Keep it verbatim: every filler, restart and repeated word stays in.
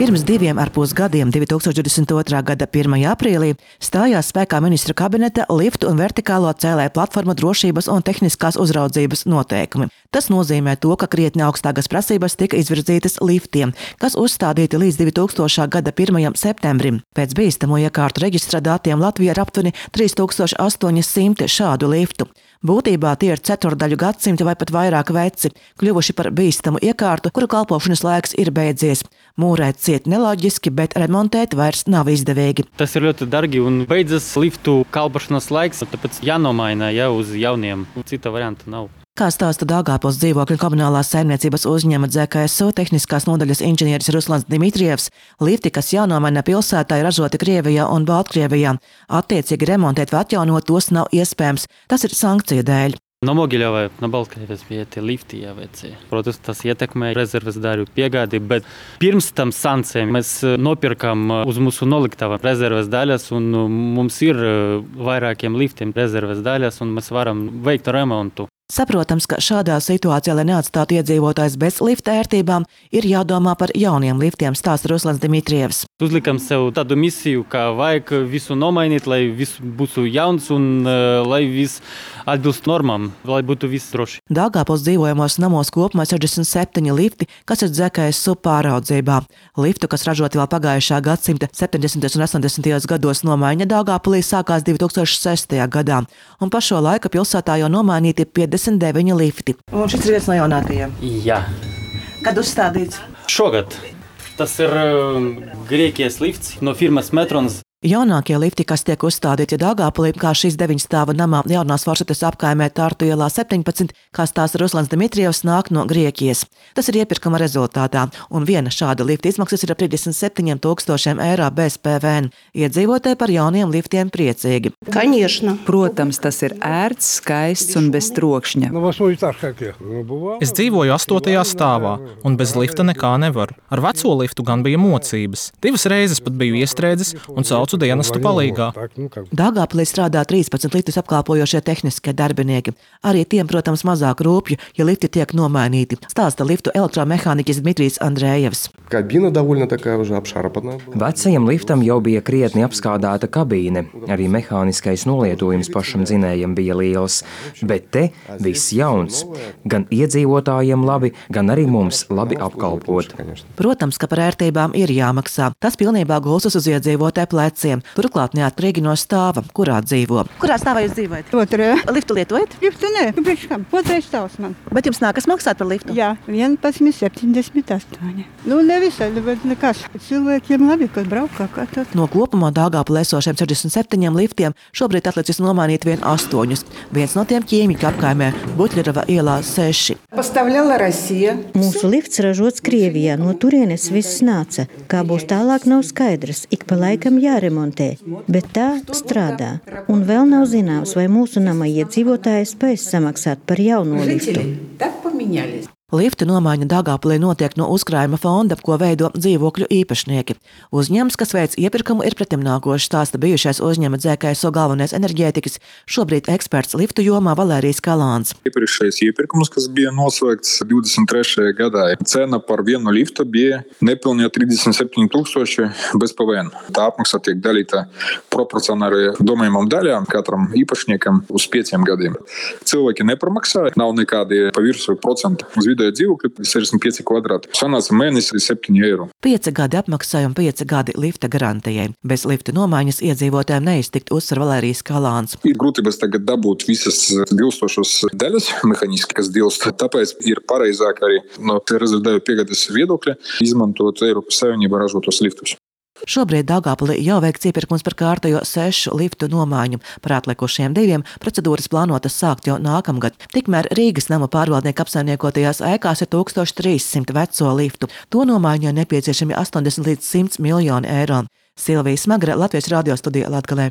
Pirms diviem ar pus gadiem, divi tūkstoši divdesmit otrā gada pirmajā aprīlī, stājās spēkā ministra kabineta liftu un vertikālo cēlēju platformu drošības un tehniskās uzraudzības noteikumi. Tas nozīmē to, ka krietni augstākas prasības tika izvirzītas liftiem, kas uzstādīti līdz divi tūkstošā gada pirmajam septembrim. Pēc bīstamo iekārtu reģistra datiem Latvijā ir aptuveni trīs tūkstoši astoņi simti šādu liftu. Būtībā tie ir ceturdaļu gadsimta vai pat vairāk veci, kļuvuši par bīstamu iekārtu, kuru kalpošanas laiks ir beidzies. Mūrēt ciet neloģiski, bet remontēt vairs nav izdevīgi. Tas ir ļoti dārgi un beidzas liftu kalpošanas laiks, tāpēc jānomaina jau uz jauniem. Cita varianta nav. Kā stāsta Daugavpils dzīvokļu komunālās saimniecības uzņēmuma D Z K S O tehniskās nodaļas inženieris Ruslans Dimitrievs, lifti, kas jānomaina pilsētā, ir ražoti Krievijā un Baltkrievijā. Attiecīgi remontēt vai atjaunot tos nav iespējams. Tas ir sankciju dēļ. No Mogiļava, no Baltkrievijas bija tie lifti jāveic. Protams, tas ietekmē rezerves daļu piegādi, bet pirms tam sankcijām mēs nopirkam uz mūsu noliktava rezerves daļas, un mums ir vairākiem liftiem rezerves daļas, un mēs varam veikt remontu. Saprotams, ka šādā situācijā, lai neatstātu iedzīvotājs bez lifta ērtībām, ir jādomā par jauniem liftiem, stāsta Ruslans Dimitrievs. Uzlikam sev tādu misiju, ka vajag visu nomainīt, lai viss būtu jauns un uh, lai viss atbilst normām, lai būtu viss droši. Daugavpils dzīvojamos namos kopumā sešdesmit septiņi lifti, kas ir D Z K S O pāraudzībā. Liftu, kas ražoti vēl pagājušā gadsimta septiņdesmitajos un astoņdesmitajos gados, nomaiņa Daugavpilī sākās divi tūkstoši sestajā gadā, un pa šo laiku pilsētā jau nomainīti piecdesmit deviņi lifti. Un šis ir viens no jaunākajiem? Jā. Kad uzstādīts? Šogad. Tas ir uh, Grieķijas lifts no firmas Metrons. Jaunākie lifti, kas tiek uzstādīti Daugavpilī, kā šīs deviņstāva namā jaunās Foršates apkaimē Tartu ielā septiņpadsmit, kā stāsta Ruslans Dimitrievs, nāk no Grieķijas. Tas ir iepirkuma rezultātā, un viena šāda lifta izmaksas ir ap trīsdesmit septiņiem tūkstošiem eiro bez P V N. Iedzīvotāji par jauniem liftiem priecīgi. Конечно. Protams, tas ir ērts, skaists un bez trokšņa. Es dzīvoju astotajā stāvā, un bez lifta nekā nevaru. Ar veco liftu gan bija mocības. Divas reizes pat biju iestrēdzis un saucu dienestu palīgā. Daugavpilī strādā trīspadsmit liftus apkalpojošie tehniskie darbinieki. Arī tiem, protams, mazāk rūpju, ja lifti tiek nomainīti, stāsta liftu elektromehāniķis Dmitrijs Andrējevs. Vecajam liftam jau bija krietni apskādāta kabīne. Arī mehāniskais nolietojums pašam dzinējam bija liels. Bet te viss jauns. Gan iedzīvotājiem labi, gan arī mums labi apkalpot. Protams, ka par ērtībām ir jāmaksā. Tas pilnībā gulstas uz iedzīvotāju pleciem. Turklāt neatkarīgi no stāva, kurā dzīvo. Kurā stāvā jūs dzīvojat? Otrajā. Liftu lietojat? Liftu nē, priekš kam? Otrais stāvs man. Bet jums nākas maksāt par liftu? Jā, vienpadsmit septiņdesmit astoņi. Nu, nevisai, bet nekas. Cilvēkiem labi, kad braukā kā tad. No kopumā Daugavpilī esošiem sešdesmit septiņiem liftiem šobrīd atlicis nomainīt vien astoņus. Viens no tiem ķīmiķu apkaimē Buļļerava ielā seši. Mūsu lifts ražots Krievijā, no turienes viss nāca. Kā būs tālāk, nav skaidrs. Ik pa laikam jāremontē, bet tā strādā. Un vēl nav zināms, vai mūsu nama iedzīvotāji spēs samaksāt par jauno liftu. Liftu nomaiņa Daugavpilī notiek no uzkrājuma fonda, ko veido dzīvokļu īpašnieki. Uzņēmums, kas veic iepirkumu, ir pretimnākošs, stāsta bijušais uzņēmuma D Z K S O galvenais enerģētikas, šobrīd eksperts liftu jomā Valērijas Kalāns. Iepriekšējais iepirkums, kas bija noslēgts divdesmit trešajā gadā, cena par vienu liftu bija nepilnīgi trīsdesmit septiņi tūkstoši bez P V N. Tā apmaksa tiek dalīta proporcionāli domājumam daļām katram īpašniekam uz pieciem gadiem. Cilvēki nepramaksāja, nav nekādi pa virsmu procenti. Uz vidēju dzīvokļi sešdesmit pieci kvadrāti. Sanāca mēnesi septiņi eiro. Pieci gadi apmaksai un pieci gadi lifta garantijai. Bez lifta nomaiņas iedzīvotājiem neiztikt, uzsver Valērijas Kalāns. Ir grūtības tagad dabūt visas dilstošas daļas mehāniski, kas dilst. Tāpēc ir pareizāk arī no rezerves daļu piegādes viedokļa izmantot Eiropas Savienībā ražotos liftus. Šobrīd Daugavpilī jau veikts iepirkums par kārtējo sešu liftu nomaiņu. Par atlikušiem diviem procedūras plānotas sākt jau nākamgad. Tikmēr Rīgas nama pārvaldnieku apsaimniekotajās ēkās ir tūkstoš trīs simti veco liftu. To nomaiņai nepieciešami astoņdesmit līdz simt miljoni eiro. Silvija Smagra, Latvijas radio studija Latgalē.